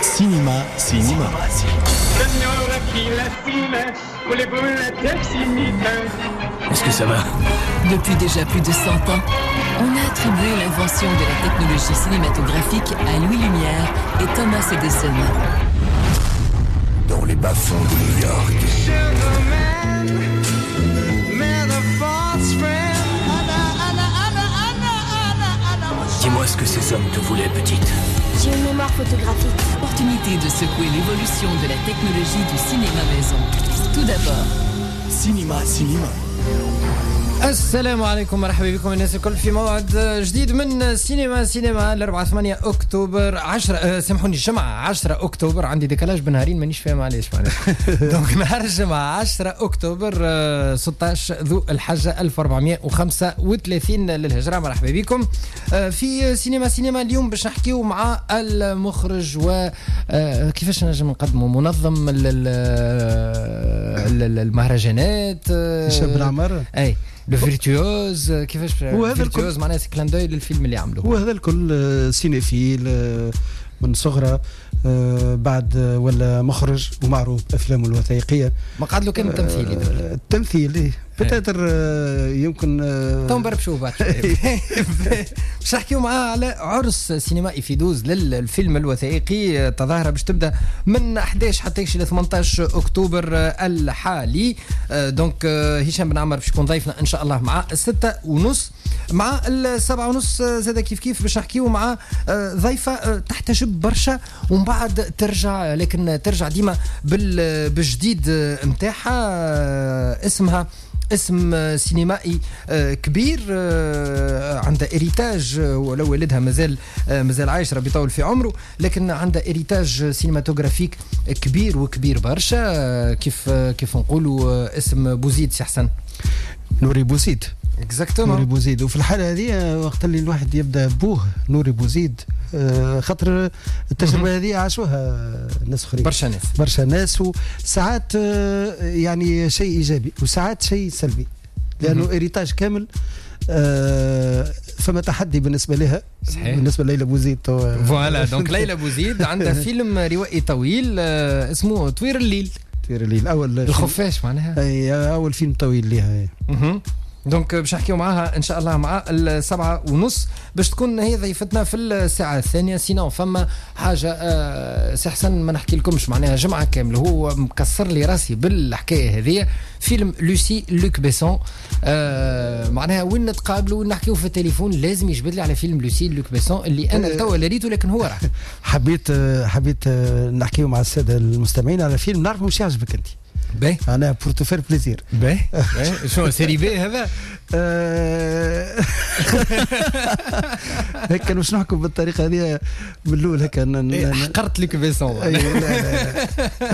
سينما سينما. Est-ce que ça va? Depuis déjà plus de 100 ans, on a attribué l'invention de la technologie cinématographique à Louis Lumière et Thomas Edison. Dans les bas-fonds de New York. Dis-moi ce que ces hommes te voulaient, petite. J'ai une mémoire photographique. Opportunité de secouer l'évolution de la technologie du cinéma maison. Tout d'abord. سينما سينما. السلام عليكم، مرحبا بكم الناس الكل في موعد جديد من سينما سينما، الأربعاء 8 أكتوبر 10، سامحوني، الجمعة 10 أكتوبر. عندي décalage بنهارين مانيش فاهم علاش معناها. donc نهار الجمعة 10 أكتوبر، 16 ذو الحجة 1435 للهجرة. مرحبا بكم في سينما سينما. اليوم باش نحكيو مع المخرج و كيفاش نجم نقدموا منظم المهرجانات، هشام بن عمار. اي le virtuose، كيفاش virtuose معناها clin d'œil للفيلم اللي عملوه. هو هذا الكل cinéphile من صغره، بعد ولا مخرج ومعروف بافلامه الوثائقيه. ما قعد له كان التمثيل. التمثيل peut-être يمكن تو نبربشوه بعد. باش نحكيو معاه على عرس سينمائي في دوز للفيلم الوثائقي، تظاهرة باش تبدا من 11 حتى ل 18 اكتوبر الحالي. donc هشام بن عمر باش يكون ضيفنا ان شاء الله مع 6:30. مع 7:30 زاد كيف كيف باش نحكيو مع ضيفة تحتجب برشا ومن بعد ترجع، لكن ترجع ديما بالجديد نتاعها. اسمها اسم سينمائي كبير، عندها héritage، ولو والدها مازال عايش ربي يطول في عمره، لكن عندها héritage cinématographique كبير وكبير برشا. كيف نقولوا اسم بوزيد، سي حسن. نوري بوزيد. exactement نوري بوزيد. وفي الحالة هذه وقت اللي الواحد يبدا بوه نوري بوزيد، خاطر التجربة هذه عاشوها ناس اخرين، برشا ناس، برشا ناس، وساعات يعني شيء ايجابي وساعات شيء سلبي، لانه héritage كامل. فما تحدي بالنسبة لها. صحيح. بالنسبة لليلى بوزيد. voilà، donc ليلى بوزيد عندها فيلم روائي طويل اسمه طوير الليل. طوير الليل، اول الخفاش معناها، اي اول فيلم طويل لها. donc باش نحكيو معاها ان شاء الله مع 7:30 باش تكون هي ضيفتنا في الساعة الثانية. sinon فما حاجة سي حسن ما نحكي لكمش معناها جمعه كاملة هو مكسر لي راسي بالحكاية هذه. فيلم لوسي لوك بيسون، معناها وين نتقابلوا ونحكيو في التليفون لازم يجبد لي على فيلم لوسي لوك بيسون اللي انا توا لا ريته لكن هو راه. حبيت نحكيو مع السادة المستمعين على فيلم نعرفه مش يعجبك انت. باهي، انا pour te faire plaisir. باهي، شو série B هذا؟ هكا باش نحكم بالطريقة هذه من الاول هكا حقرت لك بيسون. لا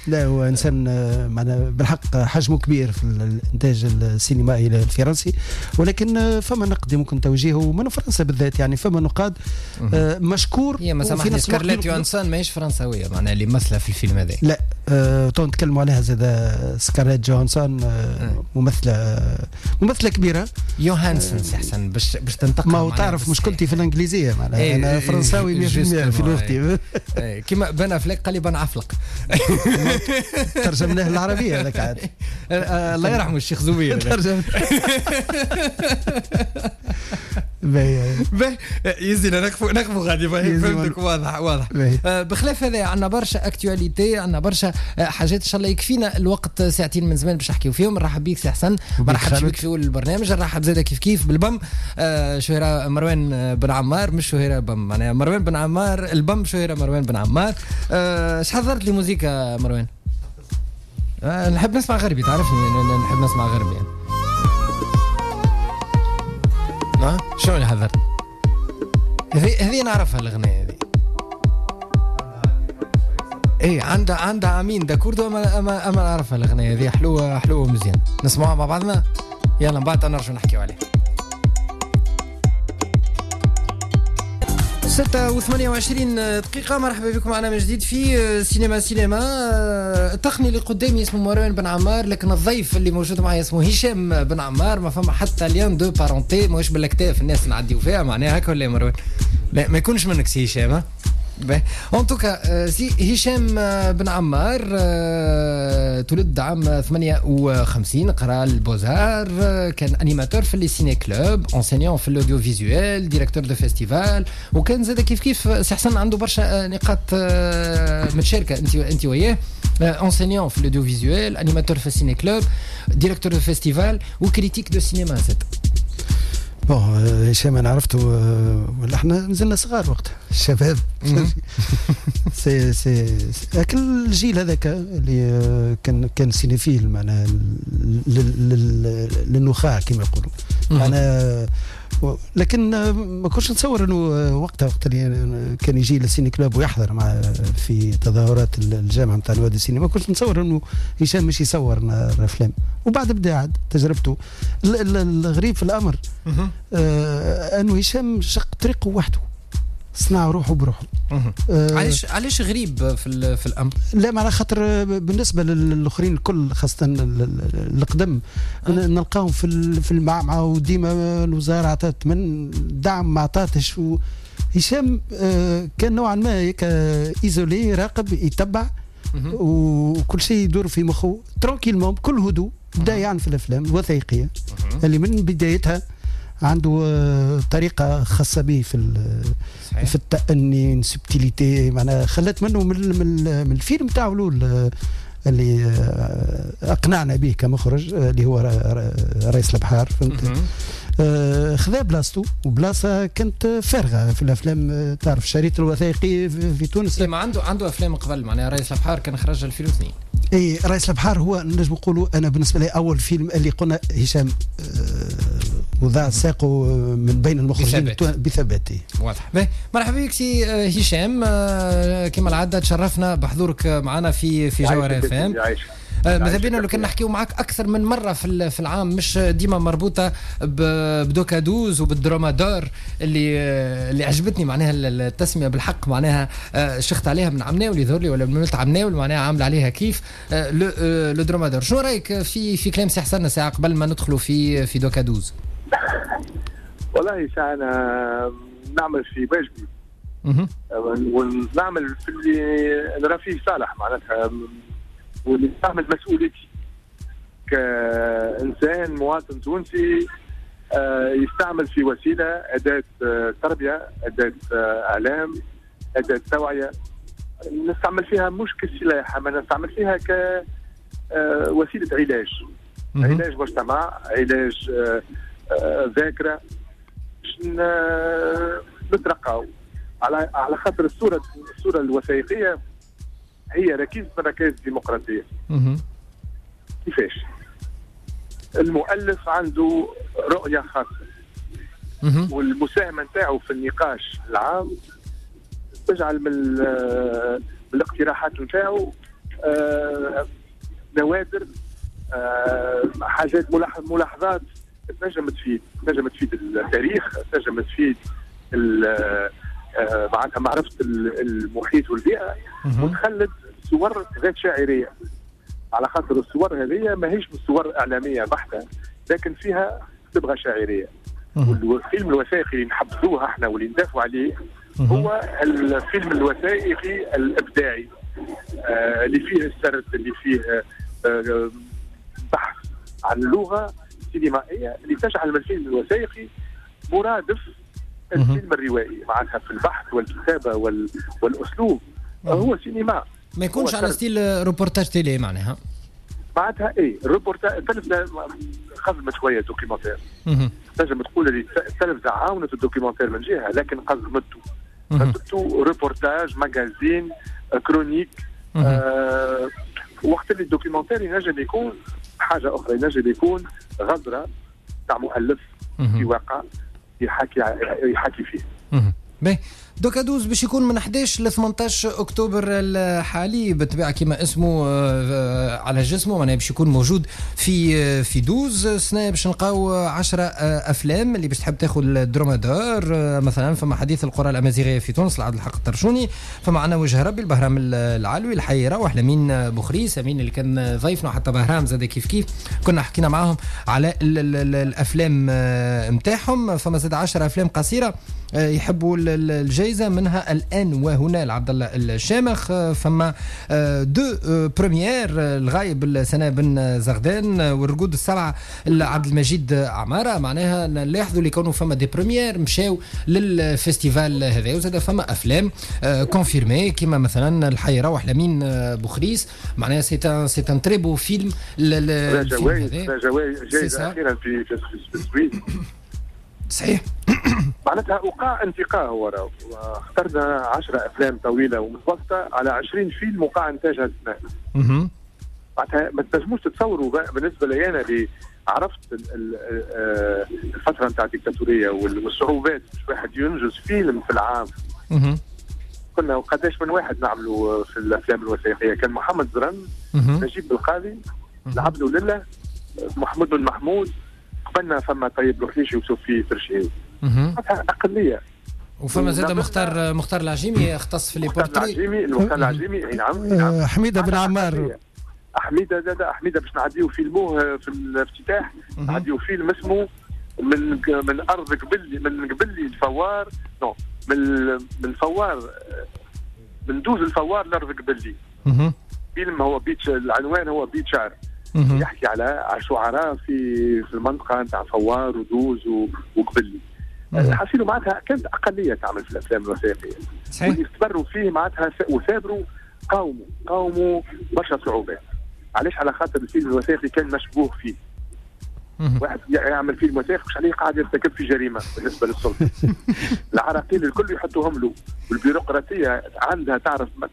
لا، هو انسان معنا بالحق حجمه كبير في الانتاج السينمائي الفرنسي، ولكن فما نقد ممكن توجيهه من فرنسا بالذات، يعني فما نقاد مشكور. هي ما سامحني، سكارليت يوهانسون ماهيش فرنساويه معناها اللي مثله في الفيلم هذا. لا، تو نتكلموا عليها زاد. سكارليت جوهانسون ممثلة كبيرة. يوهانسون سي حسن باش تنتقل. ما هو تعرف مشكلتي في الانجليزية معناها، انا فرنساوي 100% في لغتي. كيما بن افلك قال لي بن عفلق، ترجمناه العربية هذاك عاد. الله يرحمه الشيخ زبير. ترجم. باهي يزينا نقفوا غادي. فهمتك، واضح واضح. بخلاف هذا عندنا برشا actualités، عندنا برشا حاجات ان شاء الله يكفينا الوقت ساعتين من زمان باش نحكيو فيهم. نرحب بيك سي حسن، ما رحبش بك في اول البرنامج. نرحب زاده كيف كيف بالبم شهيرة مروان بن عمار، مش شهيرة بم معناها مروان بن عمار، البم شهيرة مروان بن عمار. اش حضرت لي موزيكا مروان؟ نحب نسمع غربي، تعرفني نحب نسمع غربي يعني. شو اللي حضرت؟ هذه نعرفها الأغنية هذه. ايه عندها عامين d'accord، اما نعرفها الأغنية هذه، حلوة حلوة مزيان. نسمعوها مع بعضنا، يلا من بعد نرجع نحكيو عليها. 6:28. مرحبا بكم معنا من جديد في سينما سينما. التقني اللي قدامي اسمه مروان بن عمار، لكن الضيف اللي موجود معي اسمه هشام بن عمار. ما فما حتى lien de parenté، ماهوش بالاكتاف الناس نعديو فيها معناها هكا ولا يا مروان؟ لا ما يكونش منك سي هشام. en tout cas سي هشام بن عمار تولد عام 58، قرا ال Beaux-Arts، كان animateur في les ciné-clubs، enseignant في l'audiovisuel، directeur de festival، وكان زاد كيف كيف سي حسن عنده برشا نقاط متشاركه انت وياه، enseignant في l'audiovisuel، animateur في ال ciné-club، directeur de festival و critique de cinéma زاد. bon هشام انا عرفته ولا احنا مازلنا صغار وقتها الشباب، c'est كل الجيل هذاك اللي كان cinéphile معناها للنخاع كما يقولوا معناها، لكن ما كنتش نتصور انه وقتها وقت اللي كان يجي لل ciné-club ويحضر مع في تظاهرات الجامعة نتاع نوادي السينما، ما كنتش نتصور انه هشام مش يصور الافلام. وبعد بدا عاد تجربته. الغريب في الامر انه هشام شق طريقه وحده، صنع روحه بروحه. علاش غريب في الامر؟ لا على خاطر بالنسبة للاخرين الكل خاصة القدم نلقاهم في المعمعة وديما الوزارة عطات من دعم ما عطاتش. هشام كان نوعا ما isolé، راقب، يتبع وكل شيء يدور في مخه tranquillement بكل هدوء. بدا يعني في الافلام الوثائقية اللي من بدايتها عنده طريقة خاصة به في التأني، subtilité، معناها خلت منه من الفيلم تاعو الأول اللي أقنعنا به كمخرج اللي هو رئيس البحار، فهمت؟ خذا بلاصته وبلاصة كانت فارغة في الأفلام. تعرف الشريط الوثائقي في تونس ما عنده أفلام قبل، معناها رئيس البحار كان خرج 2002. اي رئيس البحار هو نجم نقولوا أنا بالنسبة لي أول فيلم اللي قلنا هشام وضع ساقه من بين المخرجين بثبات. واضح. مرحبا بك سي هشام، كما العادة تشرفنا بحضورك معنا في جوهرة اف ام. ماذا بينا لو كان نحكيو معك اكثر من مرة في العام، مش ديما مربوطة ب Doca 12 وبال Droma d'or اللي عجبتني معناها التسمية بالحق، معناها شخت عليها من عمناول يظهر لي ولا من عمناول، معناها عامل عليها كيف le Droma d'or. شنو رايك في كلام سي حسن ساعة قبل ما ندخلوا في Doca 12؟ والله ساعة أنا نعمل في واجبي ونعمل في اللي نرى فيه صالح معناتها، واللي نعمل مسؤوليتي كإنسان مواطن تونسي يستعمل في وسيلة، أداة تربية، أداة إعلام، أداة توعية، نستعمل فيها مش كسلاح، ما نستعمل فيها كوسيلة علاج، علاج مجتمع، علاج ذاكرة، باش نترقاو على خاطر الصورة الوثائقية هي ركيزة من ركائز الديمقراطية. كيفاش؟ المؤلف عنده رؤية خاصة والمساهمة نتاعو في النقاش العام تجعل من الاقتراحات نتاعو نوادر، حاجات، ملاحظات تنجم تفيد التاريخ، تنجم تفيد معناتها معرفة المحيط والبيئة، وتخلد صور ذات شاعرية. على خاطر الصور هذه ماهيش صور إعلامية بحتة، لكن فيها صبغة شاعرية. والفيلم الوثائقي اللي نحبذوه احنا واللي ندافعوا عليه هو الفيلم الوثائقي الإبداعي، اللي فيه السرد، اللي فيه بحث عن اللغة السينمائية اللي تجعل من الفيلم الوثائقي مرادف الفيلم الروائي، معناتها في البحث والكتابة والأسلوب هو سينما، ما يكونش على style reportage télé معناها. معناتها ايه الروبورتاج، التلفزة قزمت شوية documentaire، تنجم تقول اللي التلفزة عاونت ال documentaire من جهة، لكن قزمته reportage، magazine، chronique. وقت اللي ال documentaire ينجم يكون حاجة اخرى، ينجم يكون غزره تاع مؤلف في واقع يحكي فيه. باهي Doca 12 باش يكون من 11 ل 18 اكتوبر الحالي، بالطبيعة كما اسمه على جسمه، معناها باش يكون موجود في دوز سنة. باش نلقاو 10 افلام اللي باش تحب تاخذ ال Droma d'or. مثلا فما حديث القرى الامازيغية في تونس لعبد الحق الطرشوني، فما عنا وجه ربي البهرام العلوي، الحي روح لمين بوخريس امين اللي كان ضيفنا، حتى بهرام زاد كيف كيف كنا حكينا معاهم على الافلام نتاعهم. فما زاد 10 افلام قصيرة يحبوا الجائزة. جائزة، منها الان وهنا لعبد الله الشامخ، فما deux premières، الغايب سناء بن زغدان والرقود السبعة لعبد المجيد عمارة. معناها نلاحظوا اللي كانوا فما des premières مشاو لل festival هذا، وزاد فما افلام confirmées كيما مثلا الحي روح لمين بوخريس، معناها c'est un très beau film. جائزة اخيرا في السويد. صحيح. معناتها وقع انتقاء، هو اخترنا 10 افلام طويلة ومتوسطه على 20 فيلم وقع انتاجها السنة. معناتها ما تنجموش تتصوروا بالنسبة لي انا اللي عرفت الفترة نتاع الديكتاتوريه والصعوبات باش واحد ينجز فيلم في العام. كنا وقداش من واحد نعملوا في الافلام الوثائقية، كان محمد زرن، نجيب بالقاضي، العبد لله، محمود بن محمود، قبلنا فما طيب الوحيشي وسوفي فرشيد، معناتها اقلية. وفما زاد مختار العجيمي اختص في les portraits. مختار العجيمي نعم. حميده بن عمار، حميده زاد، حميده باش نعديو فيلموه في الافتتاح، نعديو فيلم اسمه من ارض قبلي، من قبلي الفوار، non من الفوار، من دوز الفوار لارض قبلي. فيلم هو بيت، العنوان هو بيت شعر، يحكي على شعراء في المنطقة نتاع فوار ودوز وقبلي. حاسيلو معناتها كانت اقلية تعمل في الافلام الوثائقية. صحيح. واللي استمروا فيه معناتها وثابروا، قاوموا برشا صعوبات. علاش؟ على خاطر الفيلم الوثائقي كان مشبوه فيه. واحد يعمل فيلم وثائقي مش عليه قاعد يرتكب في جريمة بالنسبة للسلطة. العراقيل الكل يحطوهم له، والبيروقراطيه عندها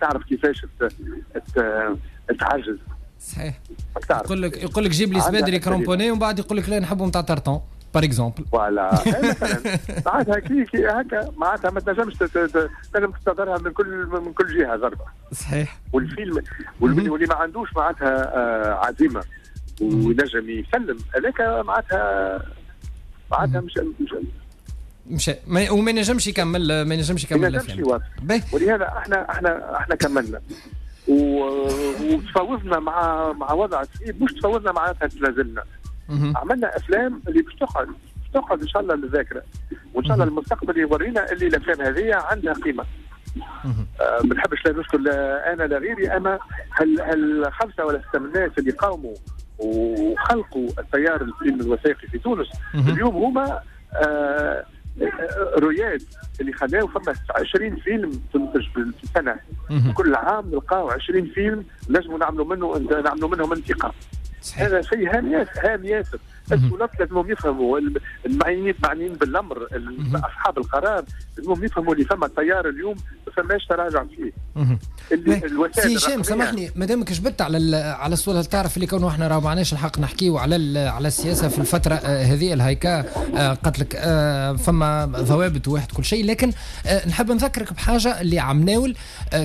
تعرف كيفاش تعجز. صحيح. يقول لك جيب لي سبادري cramponnés، ومن بعد يقول لك لا نحبهم تاع tartan par exemple. voilà مثلا معناتها كي هكا، معناتها ما تنجمش تنجم تستظهرها من كل جهة ضربه. صحيح. والفيلم واللي ما عندوش معناتها عزيمة وينجم يسلم هذاك معناتها مش وما ينجمش يكمل، ما ينجمش يكمل الفيلم. ولهذا احنا كملنا وتفاوضنا مع وضع صعيب، مش تفاوضنا معناتها تنازلنا. عملنا افلام اللي باش تقعد ان شاء الله للذاكرة، وان شاء الله المستقبل يورينا اللي الافلام هذه عندها قيمة. ما نحبش لا نشكر لا انا لا غيري، اما هل 5 ولا 6 من الناس اللي قاوموا وخلقوا التيار الفيلم الوثائقي في تونس اليوم هما رياد اللي خلاو فما 20 فيلم تنتج في السنة. كل عام نلقاو 20 فيلم نجموا نعملوا منهم انتقاء. هذا شيء هام ياسر. السلطات لازمهم يفهموا، المعنيين بالامر، اصحاب القرار لازمهم يفهموا اللي فما التيار اليوم ما فماش تراجع فيه. سي هشام سامحني مادامك جبت على السؤال، تعرف اللي كونه احنا راه ما عناش الحق نحكيو على السياسة في الفترة هذه الهيكا، قالت لك فما ضوابط واحد كل شيء، لكن نحب نذكرك بحاجة اللي عمناول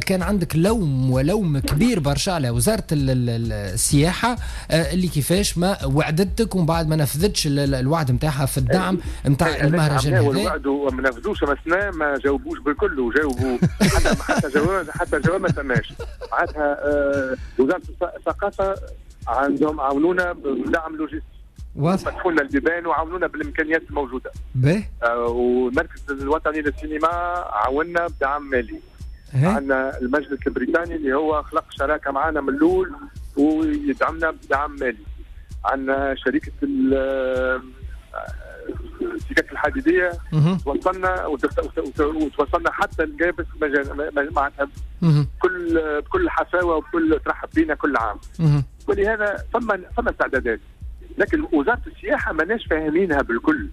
كان عندك لوم ولوم كبير برشا على وزارة السياحة اللي كيفاش ما وعدتك ومن بعد ما نفذتش الوعد نتاعها في الدعم نتاع المهرجان هذا. الوعد وما نفذوش، ما جاوبوش بالكل، وجاوبوا حتى جواب ما سماش. معناتها وزارة الثقافة عندهم عاونونا بدعم لوجستي، فتحوا لنا البيبان وعاونونا بالامكانيات الموجودة. والمركز الوطني للسينما عاوننا بدعم مالي. عندنا المجلس البريطاني اللي هو خلق شراكة معنا من الاول ويدعمنا بدعم مالي. عندنا شركة السكك الحديدية توصلنا وتوصلنا حتى الجابس معناتها بكل حفاوه وبكل ترحب بينا كل عام. ولهذا فما استعدادات، لكن وزارة السياحة ماناش فاهمينها بالكل.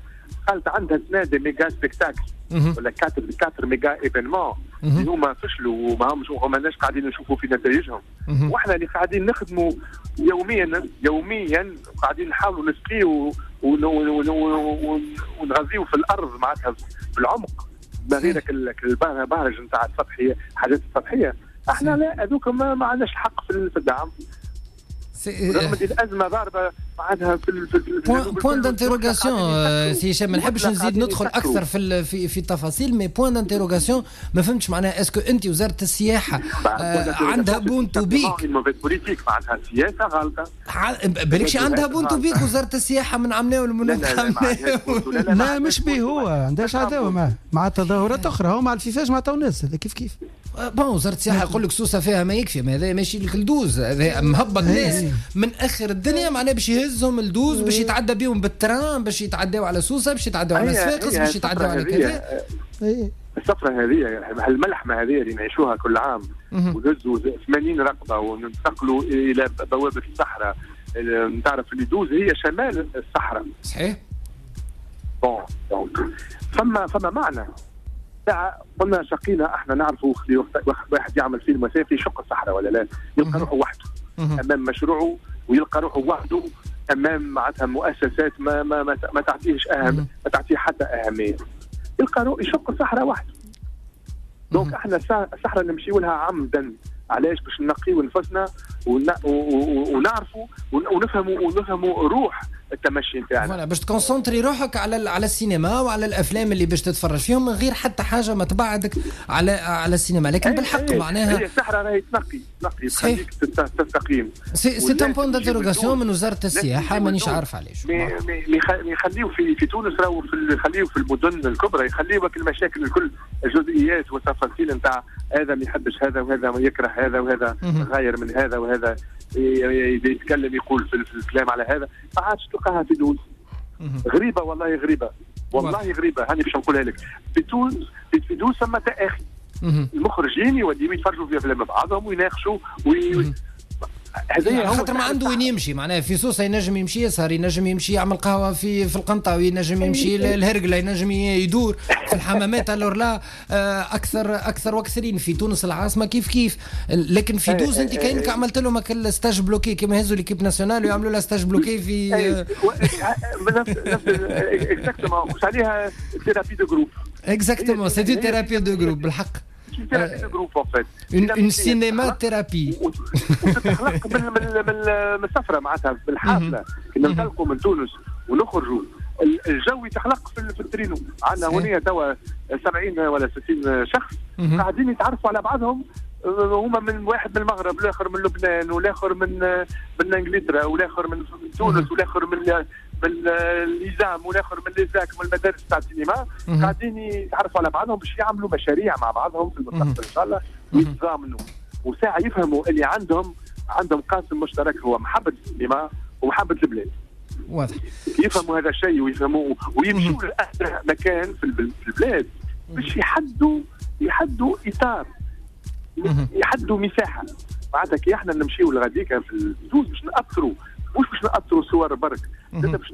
قالت عندها سنة des méga spectacles ولا 4 méga événements اللي هما فشلوا وما ماناش قاعدين نشوفوا في نتائجهم. واحنا اللي قاعدين نخدموا يوميا قاعدين نحاولوا نسقيو ونغذيو في الارض معناتها بالعمق، ما غير البهرج نتاع السطحية، الحاجات السطحية. احنا لا، هذوك ما عندناش الحق في الدعم. رغم الازمة ضاربه معناتها في point d'interrogation سي هشام، ما نحبش نزيد ندخل اكثر في التفاصيل، mais point d'interrogation ما فهمتش معناها est-ce que انت وزارة السياحة عندها بونتو بيك politique، معناتها سياسة غلطه، بالكش عندها بونتو بيك وزارة السياحة من عمناول ومن لا لا مش به، هو عندهاش عداوة مع تظاهرات اخرى، هو مع الفيفاج مع تونس هذا كيف كيف. bon وزارة السياحة يقول لك سوسة فيها ما يكفي، ما هذا ماشي لك لدوز، هذا مهبط ناس من اخر الدنيا معناها باش يهزهم لدوز، باش يتعدى بيهم بال train، باش يتعداو على سوسة، باش يتعداو على صفاقس، باش يتعداو على كذا. السفرة هذه الملحمة هذه اللي نعيشوها كل عام، ونهزوا 80 رقبة وننتقلوا الى بوابه الصحراء. تعرف اللي دوز هي شمال الصحراء. صحيح. bon donc فما معنى. قلنا شقينا احنا نعرفوا واحد يعمل فيلم وثائقي يشق الصحراء ولا لا، يلقى روحه وحده امام مشروعه، ويلقى روحه وحده امام معناتها مؤسسات ما ما ما, ما تعطيهش اهم، ما تعطيه حتى اهمية، يلقى روحه يشق الصحراء وحده. donc احنا الصحراء نمشيو لها عمدا، علاش؟ باش نقيو نفسنا ونعرفوا ونفهموا روح التمشي نتاعنا. voilà باش ت concentrer روحك على السينما وعلى الافلام اللي باش تتفرج فيهم من غير حتى حاجة ما تبعدك على السينما. لكن بالحق معناها هي الصحراء راهي تنقي تخليك تستقيم. c'est un point d'interrogation من وزارة السياحة، مانيش عارف علاش يخليو في تونس، راهو يخليو في المدن الكبرى يخليو المشاكل الكل، الجزئيات والتفاصيل نتاع هذا ما يحبش هذا وهذا يكره هذا وهذا غاير من هذا وهذا يتكلم يقول في الكلام على هذا، ما عادش تلقاها في تونس. غريبة والله، غريبة والله غريبة. هاني باش نقولها لك، في تونس في تونس ثم تاخي، المخرجين يوليو يتفرجوا في افلام بعضهم ويناقشوا هذا خاطر ما عنده وين يمشي. معناها في سوسة ينجم يمشي يسهر، ينجم يمشي يعمل قهوة في القنطاوي، ينجم يمشي للهرقله، ينجم يدور في الحمامات. alors là اكثر واكثرين في تونس العاصمة كيف كيف. لكن في دوز انت كانك عملت لهم stage bloqué كيما يهزوا l'équipe nationale ويعملوا لها stage bloqué في نفس exactement مش عليها thérapie de groupe. exactement c'est une thérapie de groupe بالحق. thérapie de groupe en fait, une cinéma-thérapie. وتتخلق من السفرة معناتها بالحافله، كي ننطلقوا من تونس ونخرجوا الجو يتخلق في الترينو. عندنا هنا توا 70 ولا 60 شخص قاعدين يتعرفوا على بعضهم، هما من واحد من المغرب، والاخر من لبنان، والاخر من انجلترا، والاخر من تونس، والاخر من l'ISAM، والاخر من l'ESAC، من المدارس تاع السينما. قاعدين يتعرفوا على بعضهم باش يعملوا مشاريع مع بعضهم في المستقبل ان شاء الله، ويتضامنوا وساعة يفهموا اللي عندهم قاسم مشترك هو محبة السينما ومحبه البلاد. واضح. يفهموا هذا الشيء ويفهموا ويمشوا لأسرع مكان في البلاد باش يحدوا اطار، يحدوا مساحة. معناتها كي احنا نمشيو لغاديكا في الدوز باش ناثروا، مش باش ناثروا صور برك، باش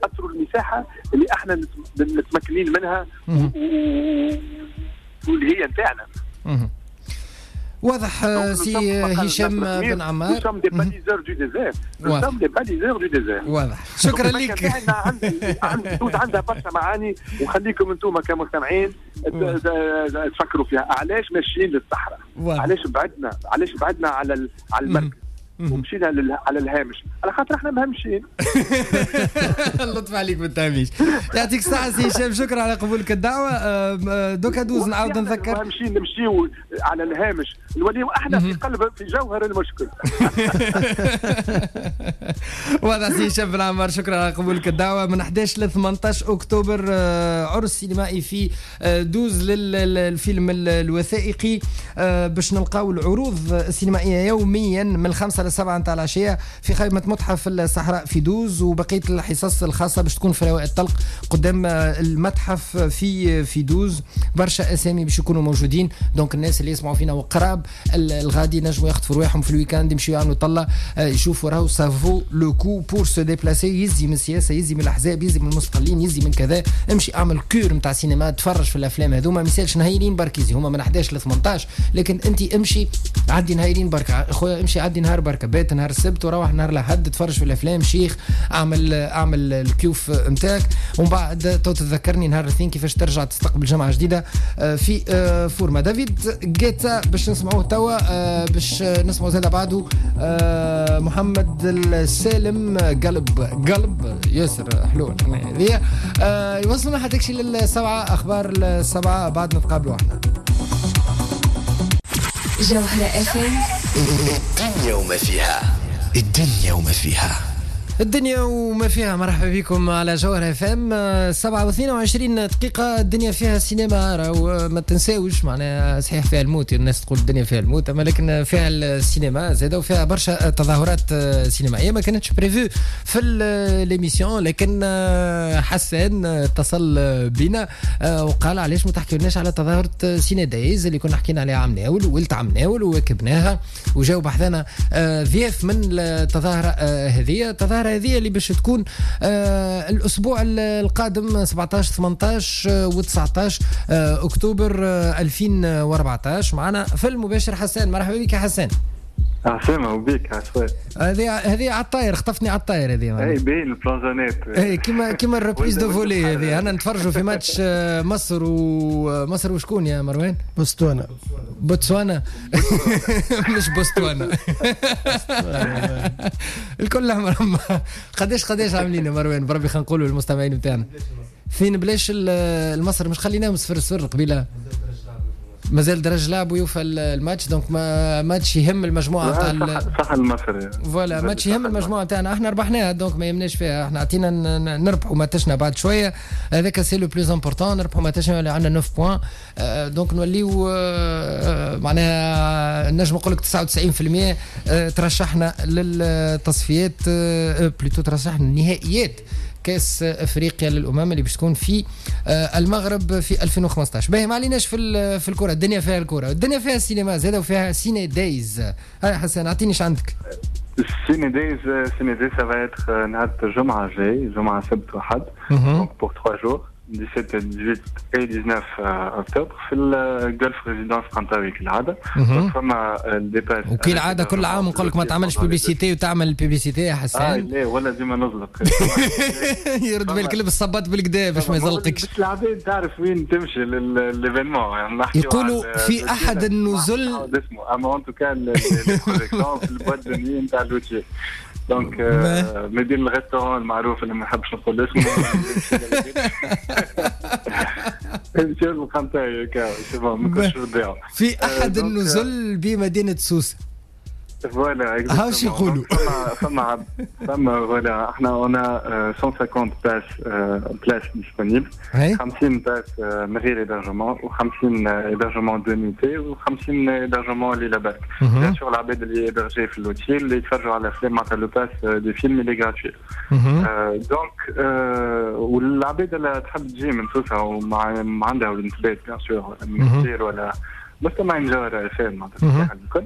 ناثروا المساحة اللي احنا متمكنين منها واللي هي نتاعنا. واضح سي هشام بن عمار. Nous sommes des baliseurs du désert. Nous sommes des baliseurs du désert. واضح. شكرا لك. عندها برشا معاني، وخليكم انتم كمستمعين تفكروا فيها. علاش ماشيين للصحراء؟ علاش بعدنا على المركز ومشينا على الهامش؟ على خاطر احنا مهمشين. اللطف عليك بالتهميش. يعطيك الصحة سي هشام، شكرا على قبولك الدعوة. دوكا دوز نعاود نذكر، مهمشين نمشيو على الهامش نوليو احنا في قلب في جوهر المشكل. واضح سي هشام بن عمار، شكرا على قبولك الدعوة. من 11 ل 18 اكتوبر عرس سينمائي في دوز للفيلم الوثائقي، باش نلقاو العروض السينمائية يوميا من 5 ل 7 نتاع العشية في خيمة متحف الصحراء في دوز، وبقية الحصص الخاصة باش تكون في رواق الطلق قدام المتحف في دوز. برشا اسامي باش يكونوا موجودين، donc الناس اللي يسمعوا فينا وقراب الغادي نجموا يخطفوا رواحهم في ال week-end، يمشيو يعملوا طله يشوفوا راهو ça vaut le coup pour se déplacer. يزي من السياسة، يزي من الاحزاب، يزي من المستقلين، يزي من كذا. امشي اعمل cure نتاع سينما، تفرج في الافلام هذوما، ما يسالش نهايرين برك، يزي هما من 11 ل 18، لكن انت امشي عدي نهايرين برك خويا، امشي عدي نهار برك. بركه، بات نهار السبت وروح نهار الاحد، تفرج في الافلام، شيخ، اعمل الكيوف نتاعك، ومن بعد تتذكرني نهار الاثنين كيفاش ترجع تستقبل جمعه جديدة في forme. دافيد جيتا باش نسمعوه توا، باش نسمعوا زاد بعده محمد السالم، قلب قلب ياسر حلو هذه. يوصلنا حتى شي للسبعة، اخبار السبعة بعد نتقابلوا احنا. جوهرة FM، الدنيا وما فيها، الدنيا وما فيها، الدنيا وما فيها. مرحبا بكم على جوهرة FM، 7:22. الدنيا فيها سينما، راهو ما تنساوش، معناها صحيح فيها الموت، الناس تقول الدنيا فيها الموت، اما لكن فيها السينما زاده وفيها برشا تظاهرات سينمائية ما كانتش prévues في l'émission، لكن حسان اتصل بنا وقال علاش ما تحكيولناش على تظاهرة Ciné Days اللي كنا حكينا عليها عام ناول وولت عام ناول وواكبناها، وجاو بحذانا ضياف من التظاهرة هذه. التظاهرة هذه اللي باش تكون الاسبوع القادم 17 18 و19 اكتوبر 2014. معنا في المباشر حسان، مرحبا بك يا حسان. عسلامة وبيك عسوان. هذه على الطاير، خطفتني على الطاير هذه. اي باين البلانجانات. اي كيما ال reprise de volée هذه. انا نتفرجوا في ماتش مصر ومصر وشكون يا مروان؟ بوتسوانا. بوتسوانا مش بوستوانا. الكل احمر. قداش عاملين يا مروان؟ بربي خلينا نقولوا للمستمعين نتاعنا. فين بلاش المصر مش خليناهم 0-0 قبيلة. مازال درج لعب ويوفى الماتش، donc ما ماتش يهم المجموعة تاع صح المصري. voilà ماتش يهم المجموعة تاعنا، احنا ربحناها donc ما يهمناش فيها، احنا عطينا نربحوا ماتشنا بعد شوية، هذاك c'est le plus important، نربحوا ماتشنا اللي عندنا 9 points، donc نوليو معناها نجم نقول لك 99% ترشحنا للتصفيات، plutôt ترشحنا النهائيات كاس افريقيا للامم اللي باش تكون في المغرب في 2015. باهي ما عليناش في الكره، الدنيا فيها الكره، الدنيا فيها السينما زاده وفيها Ciné Days. هاي حسن اعطيني ايش عندك. Ciné Days، Ciné Days ça va être نهار الجمعة الجاي، جمعه سبت وحد، donc pour 3 jours 17 18 et 19 اكتوبر في ال Golf Résidence قنطاوي كالعادة. فما ال départ وكالعادة كل عام نقول لك ما تعملش publicité وتعمل publicité يا حسان. لا ولا ديما نزلق. يرد بالك لبس الصباط بالكدا باش ما يزلقكش. باش العباد تعرف وين تمشي l'événement، يعني يقولوا في احد النزل اسمه اما en tout cas les projections في ال boîte de nuit نتاع l'hôtel، donc مدير ال restaurant المعروف اللي ما نحبش نقول اسمه. في احد النزل بمدينة سوسة. voilà هاوش يقولوا فما voilà احنا on a 150 places disponibles، 50 places من غير hébergement و50 hébergement deux nuitées و50 hébergement ليلة برك. bien sûr العباد اللي hébergés في l'hôtel اللي يتفرجوا على افلام معناتها le pass des films اللي gratuit. donc والعباد اللي تحب تجي من سوسة وما عندها وين تبات bien sûr ولا من كثير ولا مستمعين جوهرة FM معناتها الكل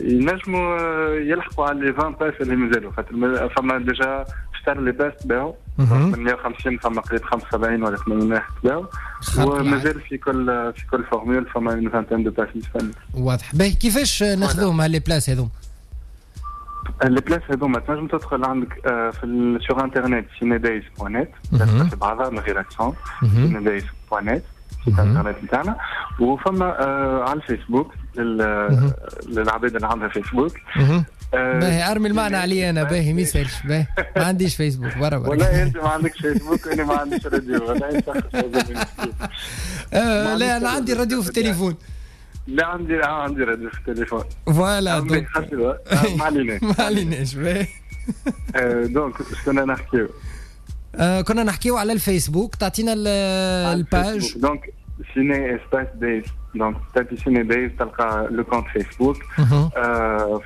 ينجموا يلحقوا على les 20 places اللي مازالوا، خاطر فما déjà اشتروا les places تباعوا من 150 فما قريب 75 ولا 80 واحد تباعوا، ومازال في كل formule فما une vingtaine de places disponibles. واضح. باهي كيفاش ناخذوهم les places هذوما؟ les places هذوما تنجم تدخل عندك في sur internet cinedays.net، في بعضها من غير accent، cinedays.net site internet نتاعنا، وفما على الفيسبوك للعباد اللي عندها فيسبوك. باهي ارمي المعنى علي انا، باهي ما يسالش، باهي ما عنديش فيسبوك برا برا. والله انت ما عندكش فيسبوك وانا ما عنديش راديو، والله لا انا عندي راديو في التليفون. لا عندي راديو في التليفون. voilà donc ما عليناش ما عليناش. باهي donc كنا نحكيو كنا نحكيو على الفيسبوك، تعطينا ال page. donc Ciné espace Days، donc تابي Ciné Days تلقى le compte فيسبوك.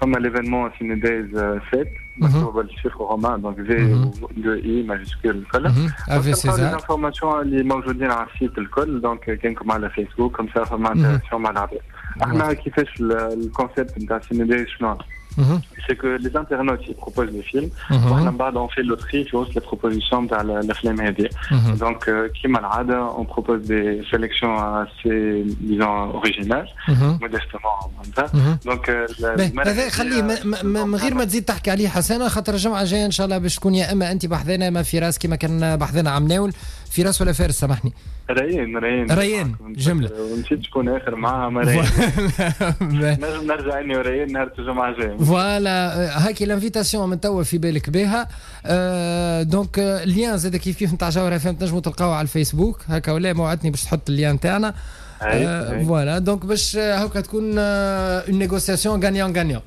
فما l'événement Ciné Days 7 مكتوب بال chiffre romain، donc V 2 I majuscule الكل. les informations اللي موجودين على ال site الكل، donc كانكم على فيسبوك comme ça فما interaction مع العباد. احنا كيفاش ال concept نتاع Ciné Days شنو؟ c'est que les internautes ils proposent les films واحنا من بعد on fait le tri في وسط les propositions تاع الافلام هذه. donc كيما العادة on propose des sélections assez disons originales modestement معناتها. donc هذا خليه من غير ما تزيد تحكي عليه حسنه، خاطر الجمعة الجاية ان شاء الله باش تكون يا اما انت بحذانا ما فراس كيما كان بحذانا عم ناول. فراس ولا فارس سامحني؟ ريان جملة ونسيت شكون اخر معاها، ما ريان نجم نرجع اني وريان نهار الجمعة الجاية. voilà هاكي l'invitation من توا في بالك بها. donc ال lien زاد كيف كيف نتاع جوهرة FM تنجموا تلقاوه على الفيسبوك هكا ولا موعدتني باش تحط ال lien تاعنا. voilà donc باش هكا تكون une négociation gagnant gagnant.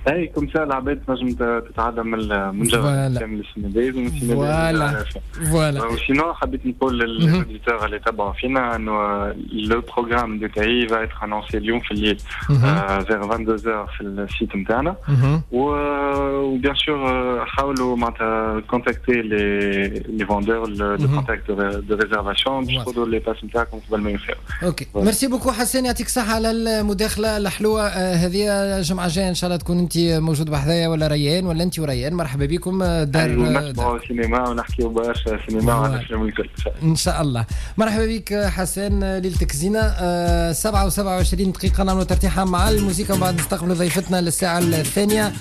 اي comme ça العباد تنجم تتعدى من جوهرة كامل السينما ومن السينما. voilà و sinon حبيت نقول لل auditeurs اللي تبعوا فينا انه le programme détaillé va être annoncé اليوم في الليل vers 22h في ال site نتاعنا. و bien sûr حاولوا معناتها contacter les vendeurs de contact de réservation باش تاخذوا les places نتاعكم قبل ما يوفيو. OK merci beaucoup حسين، يعطيك الصحة على المداخلة الحلوة هذه. الجمعة الجاية ان شاء الله تكون انت موجود بحذايا ولا ريان ولا انت وريان، مرحبا بكم. دار نسمعوا سينما ونحكيو برشا سينما وعلى الافلام الكل ان شاء الله. مرحبا بك حسين، ليلتك زينة. 7:27 دقيقة نعملوا ترتيحه مع الموسيقى وبعد نستقبلوا ضيفتنا للساعة الثانية.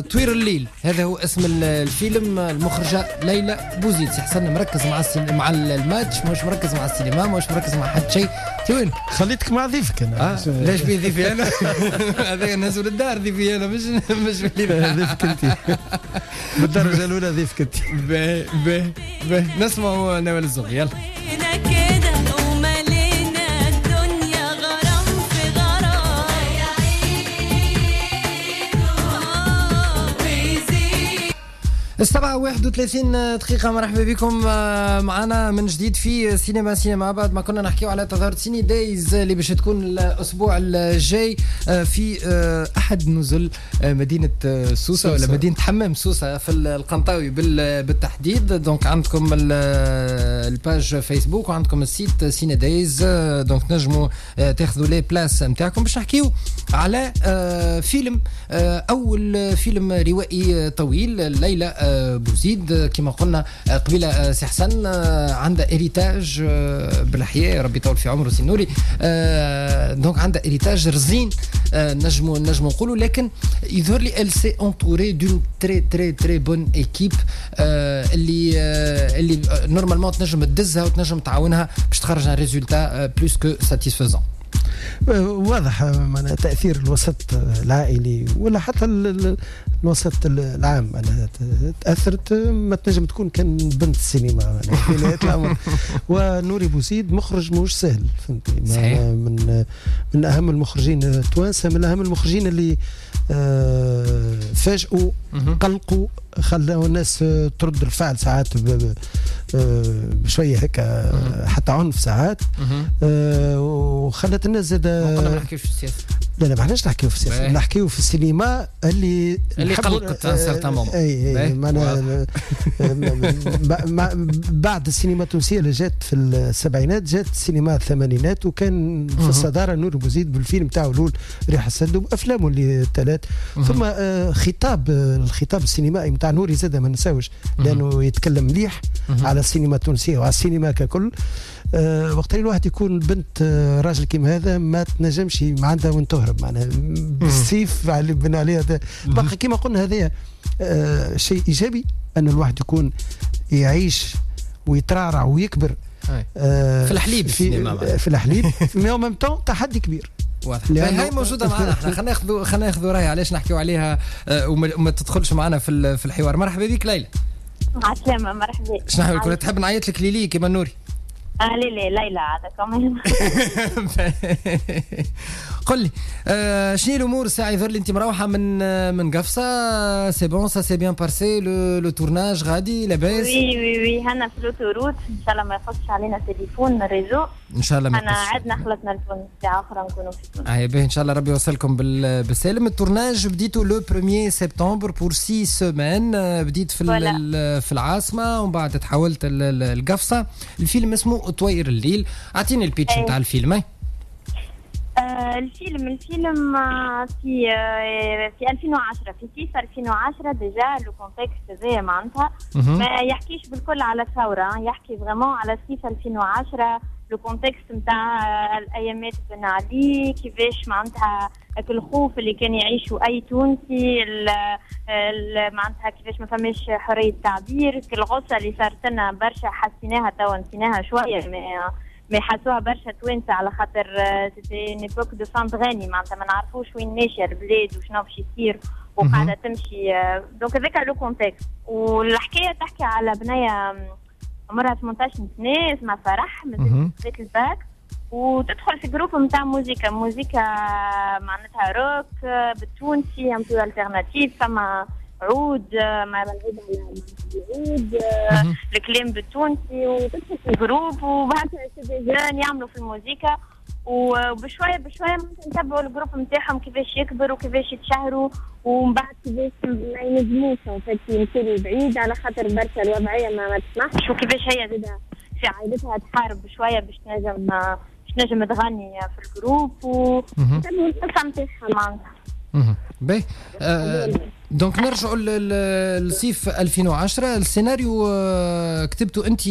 طوير الليل هذا هو اسم الفيلم، المخرجة ليلى بوزيد. سي حسن مركز مع الماتش، مش مركز مع السينما، مش مركز مع حد شيء. وين خليتك مع ضيفك انا؟ ليش بي ضيفي انا؟ هذا نزول الدار ضيفي انا، مش ضيفك انت بالدرجة الاولى، ضيفك انت. باهي باهي نسمعوا نوال الزغبي يلا. 7:31 مرحبا بكم معنا من جديد في سينما سينما. بعد ما كنا نحكيو على تظاهرة Ciné Days اللي باش تكون الأسبوع الجاي في أحد نزل مدينة سوسة ولا مدينة حمام سوسة في القنطاوي بالتحديد. donc عندكم ال page فيسبوك وعندكم ال site Ciné Days، donc نجموا تاخذوا les places نتاعكم باش نحكيو على فيلم، أول فيلم روائي طويل ليلى بوزيد. كما قلنا قبيلة سي حسن عندها héritage بالحياة، ربي يطول في عمره سي نوري، donc عندها héritage رزين نجمو نقولوا، لكن يظهر لي elle s'est entourée d'une très très très bonne équipe اللي normalement تنجم تدزها وتنجم تعاونها باش تخرج un résultat plus que satisfaisant. واضح معناها تأثير الوسط العائلي ولا حتى الوسط العام معناها تأثرت، ما تنجم تكون كان بنت السينما في نهاية الأمر. ونوري بوزيد مخرج مش سهل، فهمتني، من أهم المخرجين التوانسة، من أهم المخرجين اللي فاجئوا، قلقوا، خلاو الناس ترد الفعل ساعات بشوية هكا حتى عنف ساعات، وخلت الناس زاد. قلنا ما نحكيوش في السياسة. لا لا ما احناش نحكيو في السياسة، نحكيو في السينما اللي قلقت certain moment. اي معناها بعد السينما التونسية اللي جات في السبعينات، جات السينما الثمانينات، وكان في الصدارة نور بوزيد بالفيلم تاعو الاول ريح السد وافلامه اللي الثلاث. ثم خطاب الخطاب السينمائي نتاع نوري زاد ما نساوش، لانه يتكلم مليح على السينما التونسية وعلى السينما ككل. وقت اللي الواحد يكون بنت راجل كيما هذا ما تنجمش ما عندها وين تهرب، معناها بالسيف على بن عليه. بقى كيما قلنا هذا شيء ايجابي ان الواحد يكون يعيش ويترعرع ويكبر في الحليب، في الحليب mais en même temps تحدي كبير. واضح. هاي موجودة معنا احنا، خلينا ناخذ راي علاش نحكيو عليها وما تدخلش معنا في الحوار. مرحبا بك ليلى. عسلامة، مرحبا. شنو حوالك؟ تحب نعيط لك ليلي كيما نوري؟ لا ليلى هذا كمان. قل لي شنو الامور الساعة؟ يظهر لي انت مروحة من قفصه، c'est bon ça s'est bien passé le tournage غادي لاباس؟ oui oui oui، هنا في l'autoroute، ان شاء الله ما يقصش علينا تليفون réseau ان شاء الله. ما انا عدنا خلطنا لتونس ساعة اخرى نكونوا في تونس. باهي ان شاء الله ربي يوصلكم بالسالم. ال tournage بديتو le 1 septembre pour 6 semaines، بديت في العاصمة ومن بعد تحولت القفصه. الفيلم اسمه طوير الليل، اعطيني ال pitch نتاع الفيلم. الفيلم في 2010، في صيف 2010. déjà le contexte هذايا معناتها ما يحكيش بالكل على الثوره، يحكي vraiment على صيف 2010، le contexte نتاع الايامات بن علي، كيفاش معناتها الخوف اللي كان يعيشه اي تونسي، معناتها كيفاش ما فماش حرية تعبير، الغصة اللي صارت لنا برشا حسيناها توا نسيناها شويه، mais حسوها برشا توانسه، على خاطر c'était une époque de fin de règne، معناتها ما نعرفوش وين ماشية البلاد وشنو باش يصير وقاعدة تمشي. donc هذاك le contexte. والحكاية تحكي على بنيه عمرها 18 سنه، اسمها فرح، مازالت خذت الباك وتدخل في groupe نتاع موزيكا، موزيكا معناتها روك بالتونسي un peu alternatif، فما عود مع العود على العود، الكلام بالتونسي، وتدخل في groupe وبعد c'est des jeunes يعملوا في الموزيكا، وبشويه بشوية نتبعوا ال groupe نتاعهم كيفاش يكبر وكيفاش يتشهروا، ومن بعد كيفاش ما ينجموش يمشيو لبعيد على خاطر برشا الوضعية ما تسمحش، وكيفاش هي زاده في عائلتها تحارب شوية باش تنجم تغني في ال groupe، وتبعوا القصة نتاعها معناتها. باهي، donc نرجعوا للصيف 2010. السيناريو كتبته انت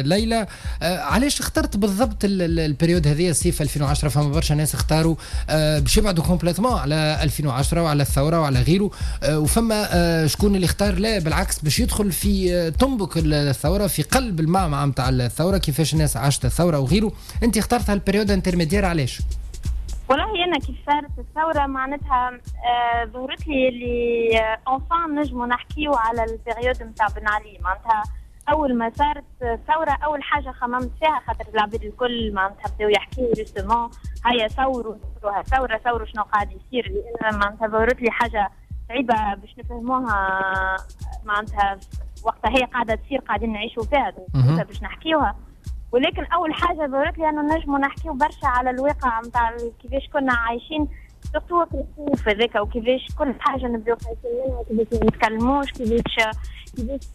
ليلى، علاش اخترت بالضبط ال période هذه الصيف 2010؟ فما برشا ناس اختاروا باش يبعدوا complètement على 2010 وعلى الثورة وعلى غيره، وفما شكون اللي اختار لا بالعكس باش يدخل في تنبك الثوره، في قلب المعمعة نتاع الثوره، كيفاش الناس عاشت الثورة وغيره. انت اخترت هال période intermédiaire علاش؟ والله انا كيف صارت الثورة معناتها ظهرت لي اللي enfin نجموا نحكيو على ال période نتاع بن علي. معناتها اول ما صارت الثورة اول حاجة خممت فيها، خاطر العباد الكل معناتها بداو يحكيو justement هيا ثوروا ثورة ثوروا شنو قاعد يصير، لان معناتها ظهرت لي حاجة صعيبة باش نفهموها، معناتها وقتها هي قاعدة تصير قاعدين نعيشوا فيها باش نحكيوها. ولكن اول حاجة ظهرت لي انه نجموا نحكيو برشا على الواقع نتاع كيفاش كنا عايشين، surtout الخوف هذاك، وكيفاش كل حاجة نبداو خايفين منها، كيفاش ما نتكلموش، كيفاش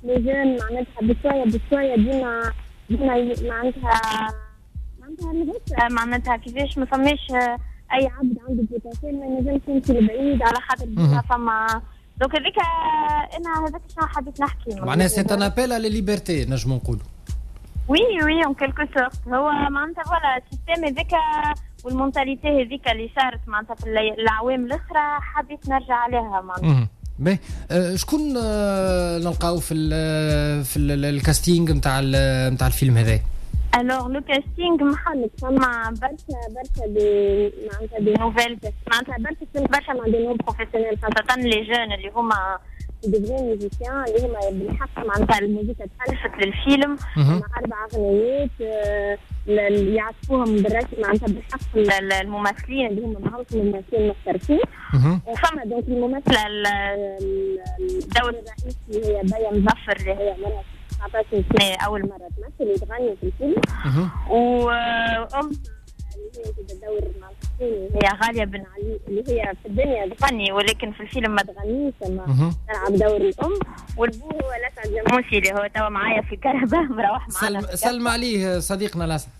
les jeunes معناتها بشوية بشوية ديما ديما معناتها كيفاش ما فماش اي عبد عنده potentiel ما ينجمش يمشي لبعيد على خاطر ديما فما. donc هذيك انا هذاك شنو حبيت نحكي، معناها c'est un appel à la liberté نجمو نقولوا. oui oui en quelque sorte هو معناتها voilà ال système هذاك وال mentalité هذيك اللي صارت معناتها في الأعوام الأخرى حبيت نرجع عليها معناتها. باهي، شكون نلقاو في ال casting نتاع الفيلم هذا؟ alors le casting محلك فما برشا برشا des معناتها des nouvelles، معناتها برشا برشا مع des non professionnels، خاصة les jeunes اللي هما des vrais musiciens اللي هما بالحق معناتها الموسيقى تألفت للفيلم مع 4 أغنيات يعرفوهم بالرسم معناتها بالحق الممثلين اللي هما ماهمش ممثلين محترفين. وفما donc الممثلة الدور الرئيسي هي بيا مظفر اللي هي عمرها 19 سنة أول مرة تمثل وتغني في الفيلم، وأم اللي هي الدور مع الثاني هي غالية بن علي اللي هي في الدنيا تغني ولكن في الفيلم ما تغنيش، ما تلعب دور الأم. والبو هو لسعد جموسي اللي هو توا معايا في الكرهبة مروح معنا. سلم عليه صديقنا لسعد.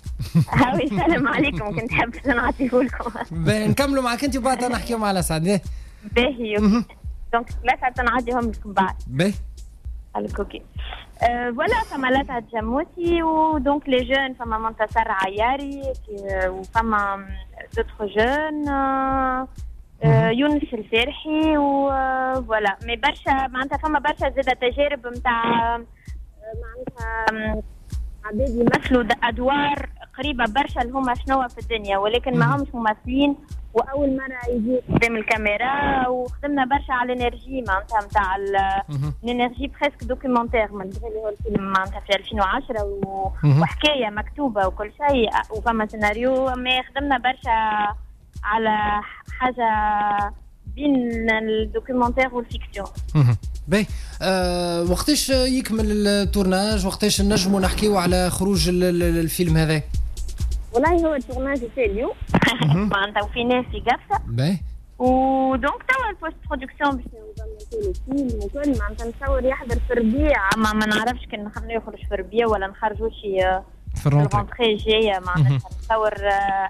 هاوي سلام عليكم، كنت حابة نعطيه لكم. نكملوا معك انت وبعد نحكيو مع لسعد. باهي donc لسعد نعديهم لكم بعد. باهي OK voilà فما لسعد جموسي و donc les jeunes فما منتصر عياري وفما d'autres jeunes يونس الفرحي و voilà. mais برشا معناتها فما برشا زاده تجارب نتاع معناتها عباد يمثلوا ادوار قريبه برشا اللي هما شنو في الدنيا ولكن ما همش ممثلين واول مرة يجي قدام الكاميرا. وخدمنا برشا على ال énergie معناتها نتاع ال énergie presque documentaire من اللي هو الفيلم معناتها في 2010 وحكاية مكتوبة وكل شيء وفما سيناريو، mais خدمنا برشا على حاجة بين ال documentaire وال fiction. باهي، وقتاش يكمل ال tournage؟ وقتاش نجموا نحكيو على خروج الفيلم هذا؟ والله هو ال tournage في اليوم معناتها وفي ناس في قفصه. باهي، و donc توا ال post-production باش نظموا الفيلم وكل معناتها نتصور يحضر في الربيع، ما نعرفش كان نخليه يخرج في الربيع ولا نخرجوا شي في ال rentrée الجاية معناتها نتصور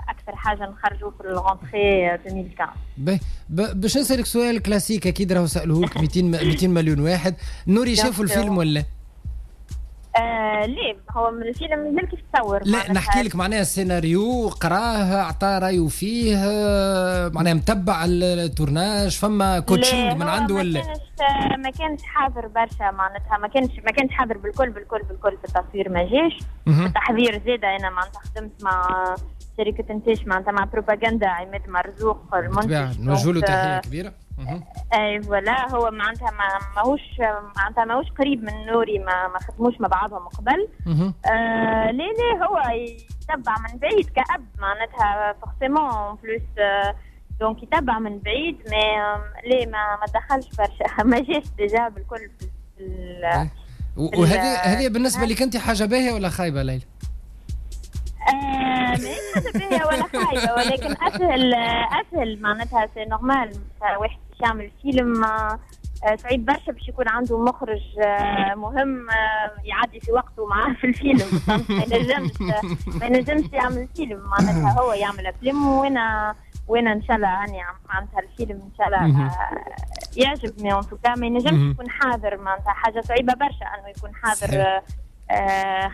اكثر حاجة نخرجوا في ال rentrée 2015. باهي، باش نسالك سؤال كلاسيك اكيد راهو سالوه لك 200 مليون واحد، نوري شافوا الفيلم ولا؟ ليه هو من الفيلم مازال كيف تصور. لا نحكي لك معناها السيناريو قراه، عطى رايه فيه، معناها متبع ال tournage، فما coaching من عنده ولا؟ ما كانش حاضر برشا معناتها، ما كانش حاضر بالكل بالكل بالكل في التصوير، ما جاش. التحضير زاده انا معناتها خدمت مع شركة انتاج معناتها مع بروباغندا عماد مرزوق المنتج، نوجه له تحية كبيرة. اي voilà، هو معناتها ماهوش معناتها ماهوش قريب من نوري، ما خدموش مع بعضهم قبل. لا هو يتبع من بعيد كأب معناتها forcément plus، donc يتبع من بعيد، mais ليه ما دخلش برشا، ما جاش déjà بالكل في. وهذه بالنسبة لك انت حاجة باهيه ولا خايبة ليلى؟ ماهيش حاجة باهيه ولا خايبة، ولكن اسهل معناتها c'est normal. واحد باش يعمل فيلم صعيب برشا باش يكون عنده مخرج مهم يعدي في وقته معاه في الفيلم، ما ينجمش يعمل فيلم معناتها، هو يعمل افلام وانا ان شاء الله راني معناتها الفيلم ان شاء الله يعجب، mais en tout cas ما ينجمش يكون حاضر معناتها، حاجة صعيبة برشا انه يكون حاضر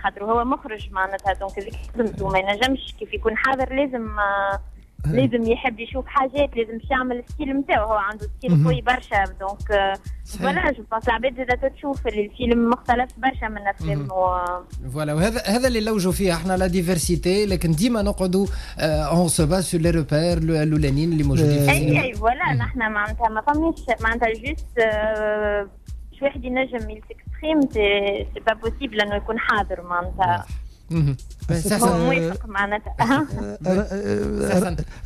خاطر هو مخرج معناتها، donc هذيك خدمته ما ينجمش كيف يكون حاضر، لازم يحب يشوف حاجات، لازم يعمل ال style نتاعو، هو عنده style قوي برشا، donc voilà je pense العباد زاده تشوف اللي الفيلم مختلف برشا من الافلام voilà. وهذا هذا اللي لوجوا فيه احنا la diversité، لكن ديما نقعدوا on se base sur les repères الاولانيين اللي موجودين في السينما. اي voilà، نحن معناتها ما فماش معناتها juste باش واحد ينجم ي s'exprime c'est pas possible انه يكون حاضر معناتها. هو موافق معناتها.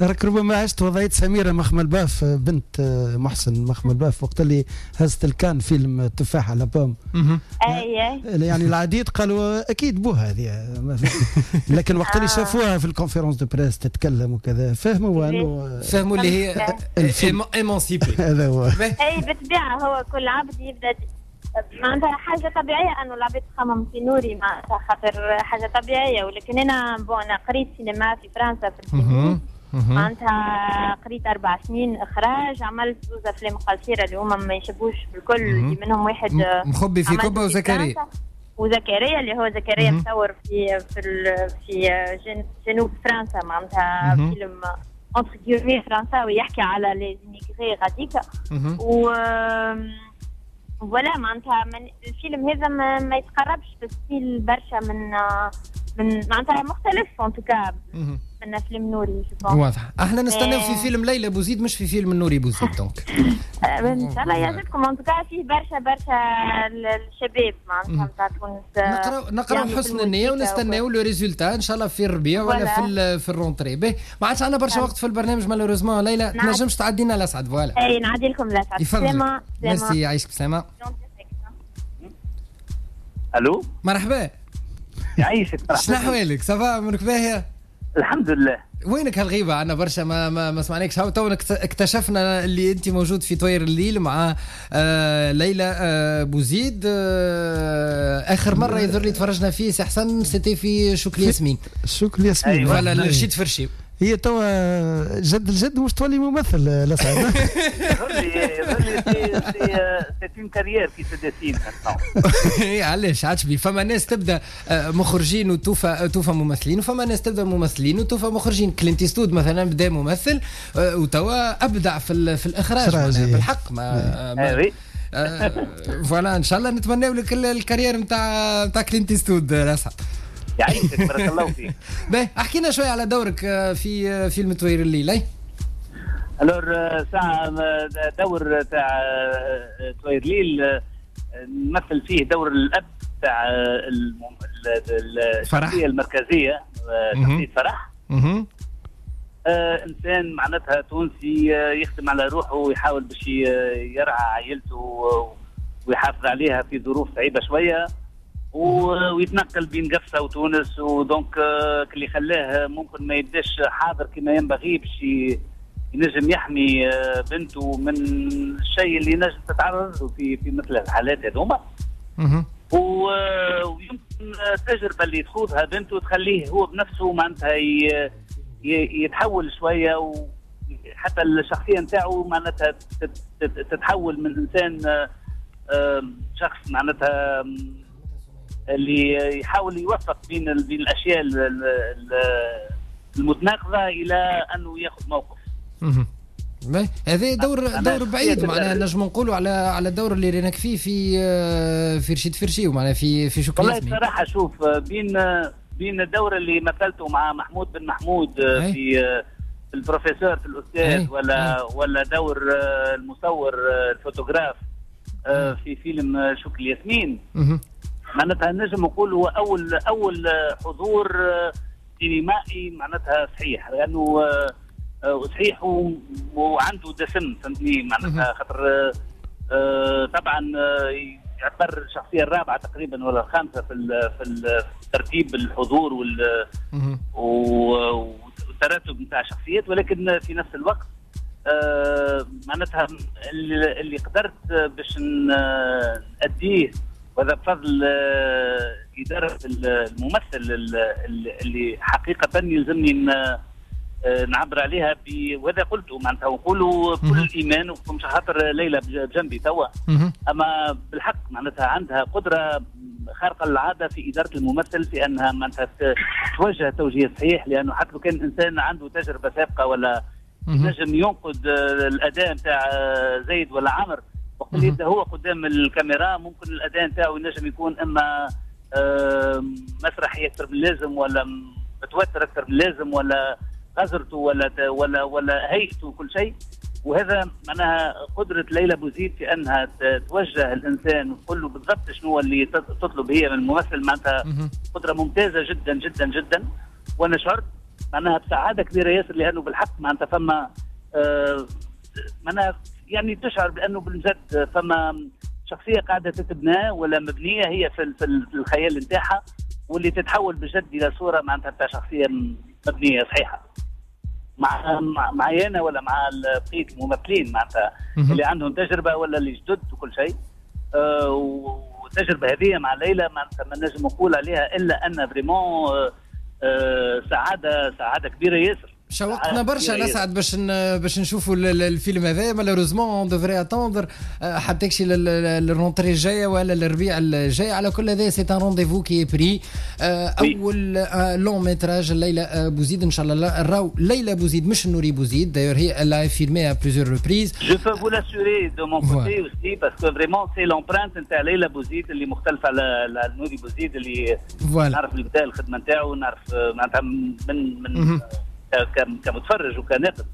راك ربما عشت وضعية سميرة مخمل باف، بنت محسن مخمل باف، وقت اللي هزت الكان فيلم التفاحة la pomme. اي يعني العديد قالوا اكيد بوها هذه، لكن وقت اللي شافوها في ال conférence de presse تتكلم وكذا فهموا انه فهموا اللي هي émancipée. هذا هو. اي بالطبيعة هو كل عبد يبدا معناتها حاجة طبيعية أنه العباد تخمم في نوري معناتها، خاطر حاجة طبيعية. ولكن أنا bon أنا قريت سينما في فرنسا في السينما معناتها، قريت 4 سنين إخراج، عملت 2 أفلام قصيرة اللي هما ما يشبوش بالكل، منهم واحد مخبي في كوبا وزكريا اللي هو زكريا مصور في في جنوب فرنسا معناتها، فيلم entre guillemets فرنساوي يحكي على les immigrés غاديكا و voilà معناتها الفيلم هذا ما يتقربش بال style برشا من معناتها مختلف en tout cas من فيلم نوري. واضح، احنا نستناو في فيلم ليلى بوزيد مش في فيلم نوري بوزيد، donc ان شاء الله يعجبكم. en tout cas فيه برشا برشا الشباب معناتها نتاع تونس، نقراو حسن النية ونستناو le résultat ان شاء الله في الربيع ولا في ال rentrée. باهي، ما عادش عندنا برشا وقت في البرنامج malheureusement. ليلى تنجمش تعدينا لاسعد؟ voilà اي نعدي لكم لاسعد. سلامه. ميرسي، يعيشك بسلامه. الو مرحبا. يعيشك. شنو احوالك؟ ça va امورك باهيه؟ الحمد لله. وينك هالغيبه؟ عندنا برشا ما سمعناكش. تو اكتشفنا اللي انت موجود في طوير الليل مع ليلى بوزيد. اخر مرة يظهر لي تفرجنا فيه سي حسن c'était في شكل ياسمين. شكل ياسمين ولا رشيد فرشي. هي توا جد الجد مش تولي ممثل لسعد. يظهر c'est une carrière qui se dessine. علاش عادش بي؟ فما ناس تبدا مخرجين وتوفى ممثلين، وفما ناس تبدا ممثلين وتوفى مخرجين. كلينت إيستوود مثلا بدا ممثل وتوا ابدع في الاخراج بالحق. ما voilà، ان شاء الله نتمناو لك ال carrière نتاع كلينت إيستوود لسعد. يعيشك، بارك الله فيك. باهي، احكينا شوية على دورك في فيلم طوير الليل. alors ساعة دور تاع طوير الليل نمثل فيه دور الاب تاع الشخصية المركزية، شخصية فرح. انسان معناتها تونسي يخدم على روحه ويحاول باش يرعى عائلته ويحافظ عليها في ظروف صعيبة شوية، ويتنقل بين قفصه وتونس، و donc اللي خلاه ممكن ما يبداش حاضر كما ينبغي باش ينجم يحمي بنته من الشيء اللي نجم تتعرض له في مثل الحالات هذوما. ويمكن التجربة اللي تخوضها بنته تخليه هو بنفسه معناتها يتحول شوية، وحتى الشخصية نتاعو معناتها تتحول من انسان شخص معناتها اللي يحاول يوفق بين الاشياء المتناقضه الى انه ياخذ موقف. هذا دور بعيد معناها نجم نقولوا على الدور اللي ريناك فيه في رشيد فرشي ومعناها في شكري. والله بصراحة شوف، بين الدور اللي مثلته مع محمود بن محمود في البروفيسور في الاستاذ، ولا دور المصور الفوتوغراف في فيلم شكري ياسمين، معناتها نجم نقول هو اول حضور سينمائي معناتها صحيح، لانه صحيح وعنده دسم، فهمتني معناتها، خاطر طبعا يعتبر الشخصية الرابعة تقريبا ولا الخامسة في ترتيب الحضور والترتب نتاع الشخصيات، ولكن في نفس الوقت معناتها اللي قدرت باش نأديه، وهذا بفضل إدارة الممثل اللي حقيقة يلزمني نعبر عليها وهذا قلته معناتها ونقولوا بكل ايمان، ومش خاطر ليلى بجنبي توا، اما بالحق معناتها عندها قدره خارقة للعادة في ادارة الممثل، في انها معناتها توجه توجيه صحيح، لانه حتى لو كان انسان عنده تجربه سابقه ولا نجم ينقد الاداء نتاع زيد ولا عمر، وقت اللي يبدا هو قدام الكاميرا ممكن الاداء نتاعو ينجم يكون اما مسرحي اكثر من اللازم، ولا متوتر اكثر من اللازم، ولا غزرته ولا ولا ولا هيئته كل شيء. وهذا معناها قدرة ليلى بوزيد في أنها توجه الإنسان وتقول له بالضبط شنو اللي تطلب هي من الممثل، معناتها قدرة ممتازة جدا جدا جدا. وأنا شعرت معناها بسعادة كبيرة ياسر، لأنه بالحق معناتها فما معناها يعني تشعر بأنه بالجد فما شخصية قاعدة تتبنى ولا مبنية هي في الخيال نتاعها، واللي تتحول بجد إلى صورة معناتها تاع شخصية مبنية صحيحة مع معي أنا ولا مع بقية الممثلين معناتها اللي عندهم تجربة ولا اللي جدد وكل شيء. والتجربة هذه مع ليلى معناتها ما نجم نقول عليها إلا أن vraiment سعادة كبيرة ياسر. شوقتنا برشا نسعد باش نشوفوا الفيلم هذا. malheureusement on devrait attendre حتى تكشي لل rentrée الجاية ولا للربيع الجاي. على كل هذا c'est un rendez-vous qui est pris. اول long métrage ليلى بوزيد، ان شاء الله نراو ليلى بوزيد مش نوري بوزيد. d'ailleurs هي elle l'a affirmé à plusieurs reprises. Je peux vous l'assurer de mon côté aussi, parce que vraiment c'est l'empreinte نتاع ليلى بوزيد اللي مختلفة على نوري بوزيد، اللي نعرف البداية الخدمة نتاعو، نعرف معناتها من كمتفرج وكناقد.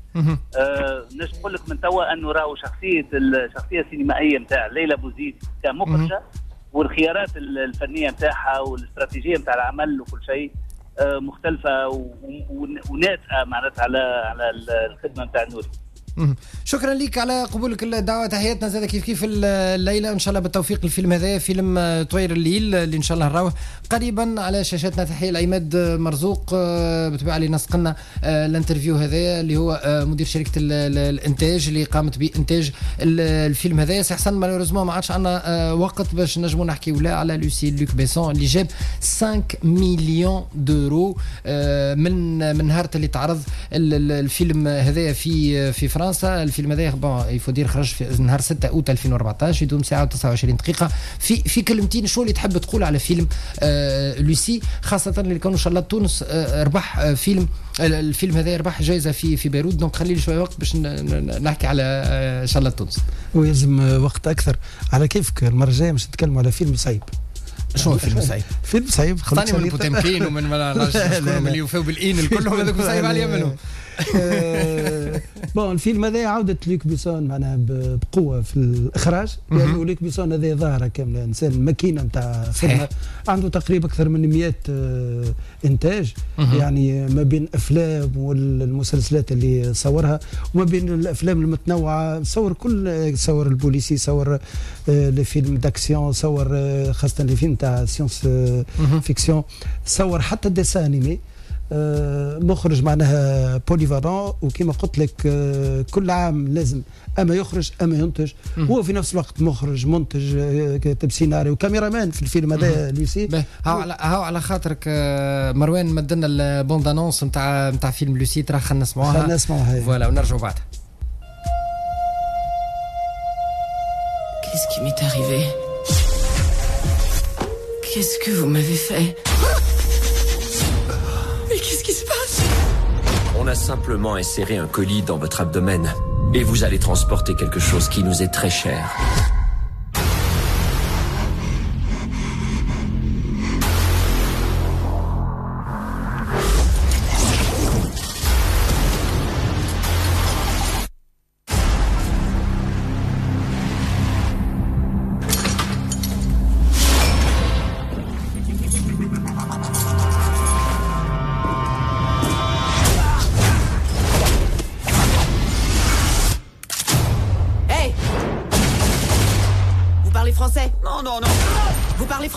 نجم نقول لك من توا انه راهو الشخصية السينمائية نتاع ليلى بوزيد كمخرجه، والخيارات الفنية نتاعها والاستراتيجيه نتاع العمل وكل شيء مختلفة وناتئه معناتها على الخدمة نتاع نوري. شكرا لك على قبولك الدعوة، تحياتنا زاد كيف كيف الليلة، ان شاء الله بالتوفيق الفيلم هذا، فيلم طوير الليل اللي ان شاء الله نراوه قريبا على شاشاتنا. تحية لعماد مرزوق بالطبيعة اللي نسقنا l'interview هذا، اللي هو مدير شركة الانتاج اللي قامت بانتاج الفيلم هذا. سي حسن malheureusement ما عادش عندنا وقت باش نجموا نحكيو لا على Lucy لوك بيسون اللي جاب 5 millions d'euros من نهار اللي تعرض الفيلم هذا في فرنسا. الفيلم هذا bon il faut dire خرج في نهار 6 اوت 2014، يدوم ساعة و29 دقيقة. في كلمتين شو اللي تحب تقول على فيلم لوسي، خاصة اللي كانوا ان شاء الله تونس ربح فيلم الفيلم هذا ربح جائزة في بيروت، donc خلي لي شوية وقت باش نحكي على ان شاء الله تونس. ويلزم وقت اكثر. على كيفك المرة الجاية باش نتكلموا على فيلم صعيب. شنو فيلم صعيب؟ فيلم صعيب خلطني من بوتيمكين ومن ما اللي يوفاو بالإين الكل، هذوك صعيب عليا منهم. bon الفيلم هذا عودة لوك بيسون معناها بقوة في الإخراج، لأنه يعني لوك بيسون هذا ظاهرة كاملة، إنسان ماكينة نتاع خدمة، عنده تقريبا أكثر من 100 إنتاج، يعني ما بين أفلام والمسلسلات اللي صورها وما بين الأفلام المتنوعة، صور كل، صور البوليسي، صور les films d'action، صور خاصة les films تاع science-fiction، صور حتى dessins animés. مخرج معناها polyvalent، وكما قلت لك كل عام لازم اما يخرج اما ينتج. هو في نفس الوقت مخرج، منتج، كاتب سيناريو و caméraman في الفيلم هذا لوسي. هاو على خاطرك مروان مدنا ال bande-annonce نتاع فيلم لوسي، ترى خلينا نسمعوها. voilà ونرجعوا بعدها. Qu'est-ce qui m'est arrivé? Qu'est-ce que vous m'avez fait? Mais qu'est-ce qui se passe? On a simplement inséré un colis dans votre abdomen et vous allez transporter quelque chose qui nous est très cher.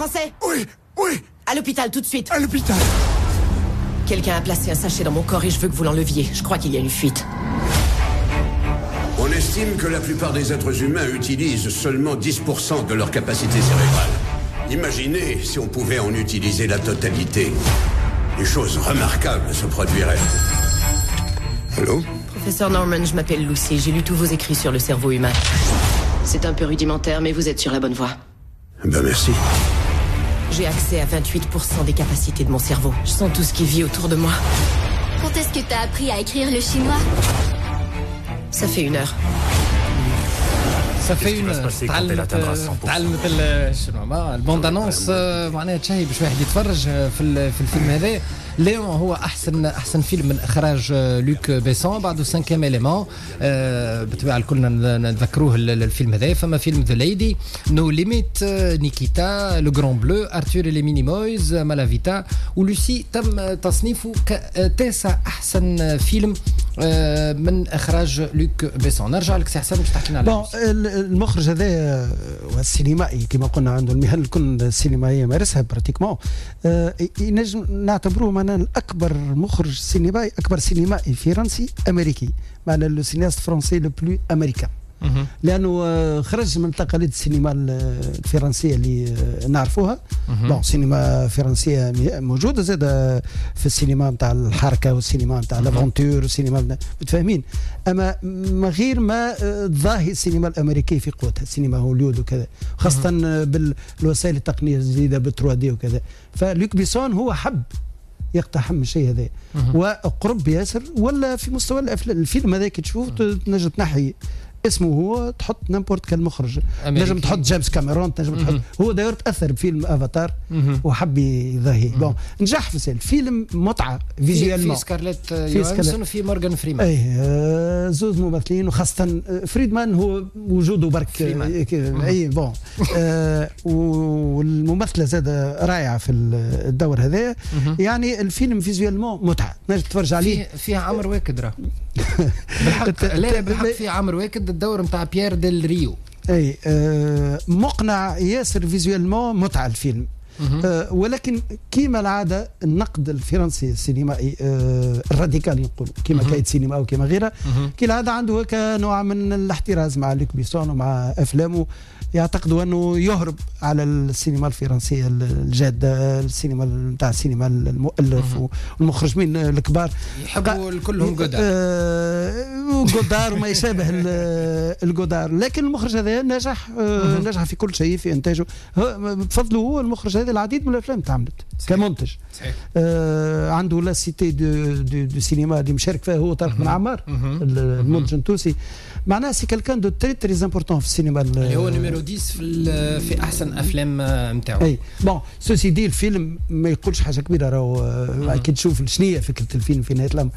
Français? Oui, oui. À l'hôpital tout de suite. À l'hôpital. Quelqu'un a placé un sachet dans mon corps et je veux que vous l'enleviez. Je crois qu'il y a une fuite. On estime que la plupart des êtres humains utilisent seulement 10% de leur capacité cérébrale. Imaginez si on pouvait en utiliser la totalité. Des choses remarquables se produiraient. Allô? Professeur Norman, je m'appelle Lucy. J'ai lu tous vos écrits sur le cerveau humain. C'est un peu rudimentaire, mais vous êtes sur la bonne voie. Ben merci. J'ai accès à 28% des capacités de mon cerveau. Je sens tout ce qui vit autour de moi. Quand est-ce que t'as appris à écrire le chinois? Ça fait une heure. Ça fait une heure. تعلمت الشنو ال bande-annonce معناها تشهي باش واحد يتفرج في الفيلم هذا. ليون هو احسن فيلم من اخراج لوك بيسون، بعده Cinquième Élément بالطبيعة كلنا نتذكروه الفيلم هذا. فما فيلم The Lady، No Limit، Nikita، Le Grand Bleu، Arthur et les Minimoys، Malavita ولوسي. تم تصنيفه كتاسع احسن فيلم من اخراج لوك بيسون. نرجع لك سي حسن باش تحكي لنا على المخرج هذا والسينمائي كما قلنا عنده المهن الكل السينمائية مارسها pratiquement. ينجم نعتبروه معنا الاكبر مخرج سينمائي، اكبر سينمائي فرنسي امريكي، معنا le cinéaste français le plus américain، لانه خرج من تقاليد السينما الفرنسية اللي نعرفوها. bon السينما الفرنسية موجودة زاد في السينما نتاع الحركة والسينما نتاع l'aventure والسينما متفاهمين، اما من غير ما تضاهي السينما الامريكية في قوتها، السينما هوليود وكذا، خاصة بالوسائل التقنية الجديدة بال 3D وكذا. فلوك بيسون هو حب يقتحم الشيء هذا وقرب ياسر، ولا في مستوى الفيلم هذا كي تشوف تنجم تنحي اسمه هو، تحط n'importe quel مخرج، نجم تحط جيمس كاميرون، تنجم تحط هو داير تاثر بفيلم افاتار وحب يظهي. bon نجح في الفيلم، متعه visuellement. في سكارليت يوهانسون وفي مورغان فريمان، اي زوز ممثلين، وخاصة فريدمان هو وجوده برك اي bon. والممثله زاد رائعة في الدور هذا. يعني الفيلم visuellement متعه، تنجم تتفرج عليه. فيه عمر واكد راه بالحق، لا بالحق في عمر واكد الدور نتاع بيير ديل ريو. اي مقنع ياسر visuellement، متعه الفيلم. ولكن كيما العادة النقد الفرنسي السينمائي الراديكالي نقولوا كيما Cahiers du Cinéma وكيما غيرها، كي العادة عنده هكا نوع من الاحتراز مع لوك بيسون ومع افلامه، يعتقدوا انه يهرب على السينما الفرنسية الجادة، السينما نتاع السينما المؤلف والمخرجين الكبار يحبوا كلهم جودار جودار وما يشابه الجودار. لكن المخرج هذا نجح، نجح في كل شيء في انتاجه، بفضله هو المخرج هذا العديد من الافلام تعملت كمنتج. عنده la Cité du cinéma اللي مشارك فيها هو طارق بن عمار المنتج التونسي، معناها c'est quelqu'un de très très important في السينما اللي هو numéro 10 في احسن افلام نتاعو. اي bon ceci dit الفيلم ما يقولش حاجة كبيرة، راهو كي تشوف شنو فكرة الفيلم في نهاية الامر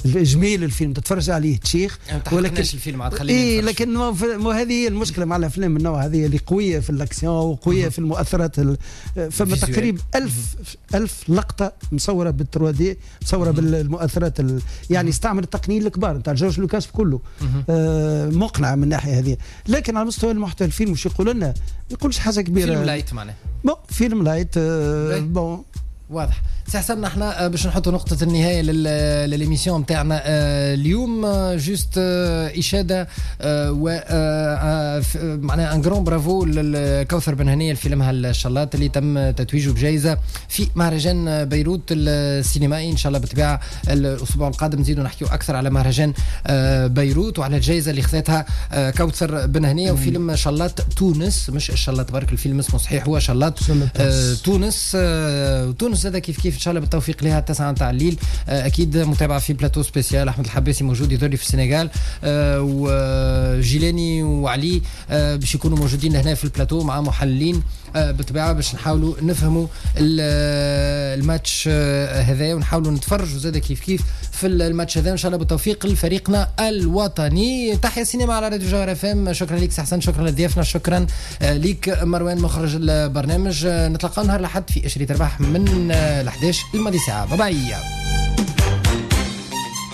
جميل الفيلم تتفرج عليه تشيخ، ولكن الفيلم عاد خلينا اي لكن ما هذه هي المشكلة مع الافلام من النوع هذه اللي قوية في الاكسيون وقويه في المؤثرات. فما تقريبا 1000 لقطة مصوره بال 3D، مصوره بالمؤثرات يعني استعمل التقنيين الكبار نتاع جورج لوكاس كله. مقنع من الناحية هذه، لكن على مستوى المحتوى الفيلم مش يقول لنا، ما يقولش حاجة كبيرة. فيلم light معناه bon فيلم light bon واضح سي حسن، احنا باش نحطوا نقطة النهاية لل émission نتاعنا اليوم، juste إشادة و معناها un grand bravo لكوثر بن هنية لفيلمها الشلاط اللي تم تتويجه بجائزة في مهرجان بيروت السينمائي. إن شاء الله بالطبيعة الأسبوع القادم نزيدوا نحكيو أكثر على مهرجان بيروت وعلى الجائزة اللي خذتها كوثر بن هنية وفيلم شلاط تونس، مش الشلاط برك، الفيلم اسمه صحيح هو شلاط تونس. تونس هذا كيف كيف ان شاء الله بالتوفيق لها 9 تاع الليل. اكيد متابعه في plateau spécial، احمد الحباسي موجود يظهر في السنغال، وجيلاني وعلي باش يكونوا موجودين هنا في البلاتو مع محللين بالطبيعة باش نحاولوا نفهموا الماتش هذا ونحاولوا نتفرجوا زاد كيف كيف في الماتش هذا. ان شاء الله بالتوفيق لفريقنا الوطني. تحيا السينما على راديو جوهر اف ام. شكرا لك سي حسن، شكرا لضيافنا، شكرا لك مروان مخرج البرنامج. نتلاقى نهار الاحد في اشري تربح من ال 11 الماضي ساعة. bye bye.